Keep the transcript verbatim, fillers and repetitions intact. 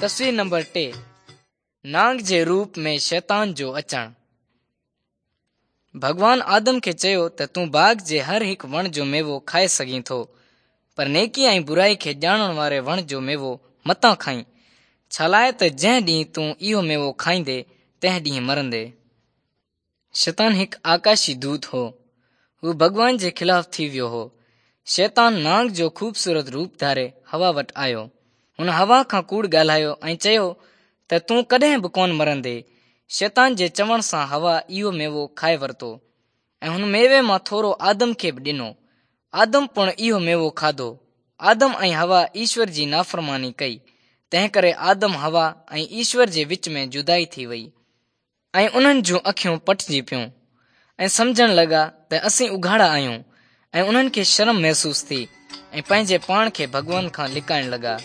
تصوير نمبر ٽي، نانگ جي روپ ۾ شيطان جو اچڻ. ڀڳوان آدم کي چيو ته تون باغ جي هر هڪ وڻ جو ميوو کائي سگهين ٿو، پر نيڪي ۽ برائي کي ڄاڻڻ واري وڻ جو ميوو متان کائين، ڇا لاءِ ته جنهن ڏينهن تون اهو ميوو کائيندي تنهن ڏينهن مرندي. شيطان هڪ آڪاشي دوت هو. هو ڀڳوان جي خلاف ٿي ويو هو. شيطان نانگ جو خوبصورت روپ ڌاري حوا وٽ آيو. هن حوا کان ڪوڙ ڳالهايو ۽ چيو ته تون ڪڏهن به ڪونه مرندي. شيطان جي چوڻ سان حوا اهو ميوو کائي ورتو ۽ هن ميوي مان ٿورو آدم کي به ڏنو. آدم پڻ اهو ميوو کاڌو. آدم ۽ حوا ايشور جي نافرماني ڪئي، تنهن ڪري آدم، حوا ۽ ايشور جي وچ ۾ جدائي ٿي وئي ۽ انهن جون اکيون پٽجي پيون ۽ سمجهڻ لڳا ته اسين اگهاڙا آهيون ۽ انهن کي شرم محسوس ٿي ۽ پنهنجي پاڻ کي ڀڳوان کان لڪائڻ لڳا.